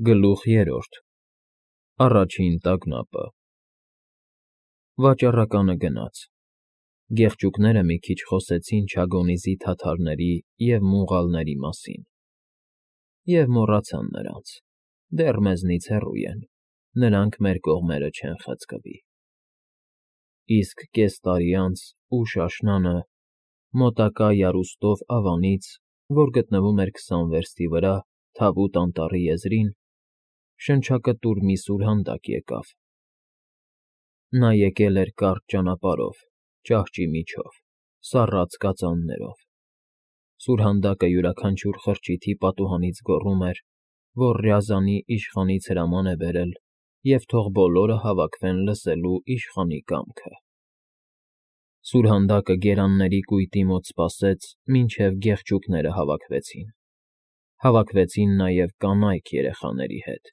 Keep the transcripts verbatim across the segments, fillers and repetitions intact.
Գլուխ երրորդ Առաջին տագնապը Վաճառականը գնաց, գեղջյուկները մի քիչ խոսեցին Չագոնիզի թաթարների և մուղալների մասին, և մոռացան նրանց, դեռ մեզնից հեռու են, նրանք մեր կողմերը չեն խցկվի։ Իսկ կես տարի անց ուշ աշնանը, մոտակա եռուստով ավանից, որ գտնվում էր քսան վերստի վրա, Թավուտ անտառի եզրին, շնչակտուր մի սուրհանդակ եկավ. նա եկել էր կարճ ճանապարհով, ճահճի միջով, սառած կածաններով. սուրհանդակը յուրաքանչյուր խրճիթի պատուհանից գոռում էր, որ Ռյազանի իշխանից հրաման է բերել և թող բոլորը հավաքվեն լսելու իշխանի կամքը։ Սուրհանդակը գերանների կույտի մոտ սպասեց, մինչև գեղջյուկները հավաքվեցին, հավաքվեցին նաև կանայք երեխաների հետ,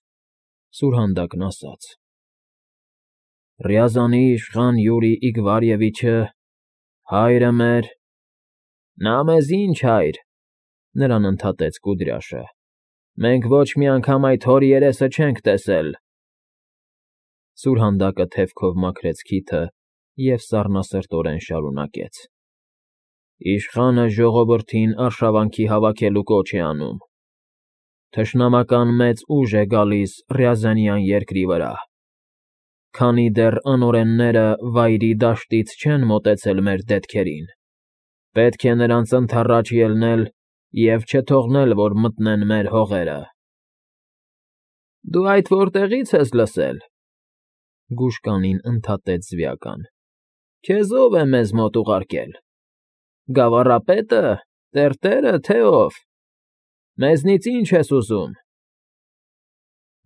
սուրհանդակն ասաց. «Ռյազանի իշխան Յուրի Իգվարևիչը, հայրը մեր…»։ «Նա մեզ ինչ հայր,֊ նրան ընդհատեց Կուդրյաշը,֊ մենք ոչ մի անգամ այդ հոր երեսը չենք տեսել»։ Սուրհանդակը թևքով մաքրեց քիթը և սառնասրտորեն շարունակեց. «Իշխանը ժողովրդին արշավանքի հավաքելու կոչ է անում. թշնամական մեծ ուժ է գալիս Ռյազանյան երկրի վրա, քանի դեռ անօրենները Վայրի դաշտից չեն մոտեցել մեր դետքերին, պետք է նրանց ընդառաջ ելնել և չթողնել, որ մտնեն մեր հողերը»։ «Դու այդ որտեղի՞ց ես լսել,֊ գուշկանին ընդհատեց Զվյական,֊ քեզ ո՞վ է մեզ մոտ ուղարկել, գավառապետը, տերտերը, թե ով, մեզնից ի՞նչ ես ուզում»։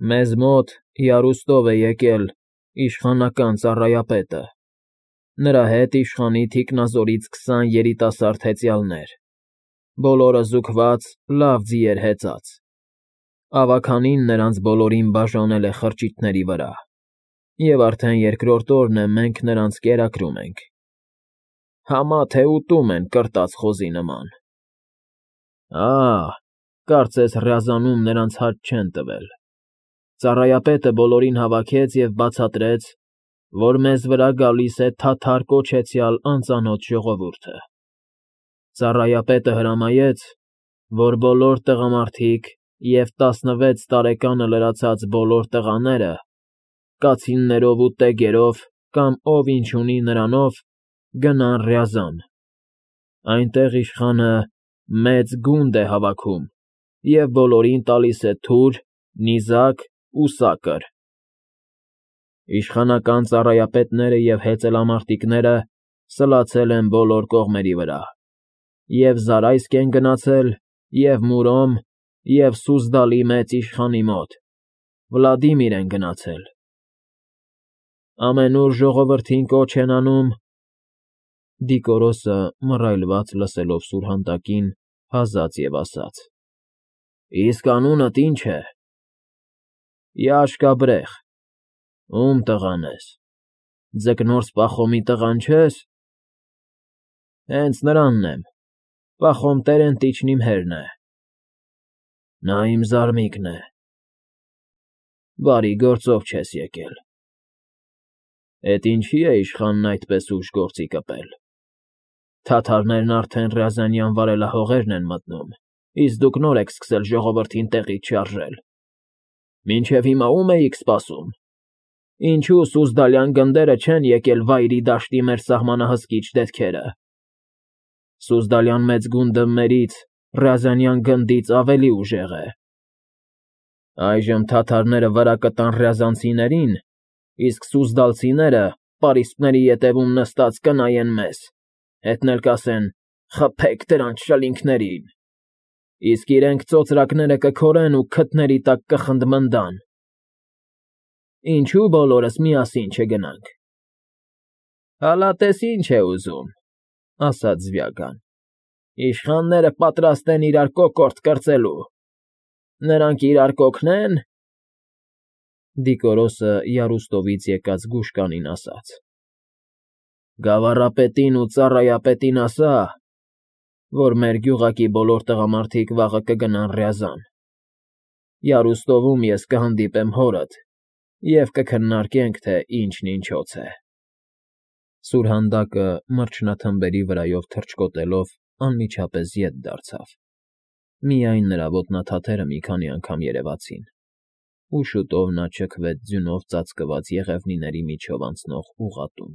«Մեզ մոտ եռուստով է եկել իշխանական ծառայապետը, նրա հետ իշխանի թիկնազորից քսան երիտասարդ հեծյալներ, բոլորը զուկված, լավ ձիեր հեծած, ավագանին նրանց բոլորին բաժանել է խրճիթների վրա, և արդեն երկրորդ օրն է մենք նրանց կերակրում ենք, համա թե ուտում են կրտած խոզի նման։ Ա՜, կարծես Ռյազանում նրանց հաճ չեն տվել։ Ծառայապետը բոլորին հավաքեց և բացատրեց, որ մեզ վրա գալիս է թաթար կոչեցյալ անծանոթ ժողովուրդը։ Ծառայապետը հրամայեց, որ բոլոր տղամարդիկ և տասնվեց տարեկանը լրացած բոլոր տղաները, կացիններով ու տեգերով կամ ով ինչ ունի նրանով, գնան Ռյազան, այնտեղ իշխանը մեծ գունդ է հավաքում և բոլորին տալիս է թուր, նիզակ ու սակր։ Իշխանական ծառայապետները և հեծելամարտիկները սլացել են բոլոր կողմերի վրա, և Զարայսկ են գնացել, և Մուրոմ, և Սուզդալի մեծ իշխանի մոտ, Վլադիմիր են գնացել։ Ամենուր ժողովրդին կոչ են անում… Դիկորոսը, մռայլված լսելով սուրհանդակին, հազաց և ասաց. «Իսկ անունդ ի՞նչ է»։ «Յաշկա Բրեղ»։ Ո՞ւմ տղան ես, Ձկնորս Պախոմի տղան չե՞ս։ Հենց նրանն եմ, Պախոմ Տերենտիչն իմ հերն է։ Նա իմ զարմիկն է։ Բարի գործով չես եկել։ Էդ ինչի՞ է իշխանն այդպես ուշ գործի կպել։ Թաթարներն արդեն Ռյազանյան վարելահողերն են մտնում, իսկ դուք նոր եք սկսել ժողովրդին տեղից շարժել։ Մինչև հիմա ո՞ւմ էիք սպասում։ Ինչո՞ւ Սուզդալյան գնդերը չեն եկել Վայրի դաշտի մեր սահմանահսկիչ դետքերը։ Սուզդալյան մեծ գունդը մերից, Ռյազանյան գնդից ավելի ուժեղ է։ Այժմ թաթարները վրա կտան ռյազանցիներին, իսկ սուզդալցիները պարիսպների ետևում նստած կնայեն մեզ, հետն էլ կասեն. «Խփեք դրանց շլինգներին», իսկ իրենք ծոծրակները կքորեն ու քթների տակ կխնդմնդան։ Ինչո՞ւ բոլորս միասին չգնանք։ Հալա տես ինչ է ուզում,֊ ասաց Զվյական,֊ իշխանները պատրաստ են իրար կոկորդ կրծելու։ Նրանք իրար կօգնե՞ն։ Դիկորոսը եռուստովից եկած գուշկանին ասաց. «Գավառապետին ու ծառայապետին ասա, որ մեր գյուղակի բոլոր տղամարդիկ վաղը կգնան Ռյազան, Յարուստովում ես կհանդիպեմ հորդ և կքննարկենք, թե ինչն ինչոց է… Սուրհանդակը, մրջնաթմբերի վրայով թռչկոտելով, անմիջապես ետ դարձավ, միայն նրա ոտնաթաթերը մի քանի անգամ երևացին, ու շուտով նա ճքվեց ձյունով ծածկված եղևնիների միջով անցնող ուղղատուն։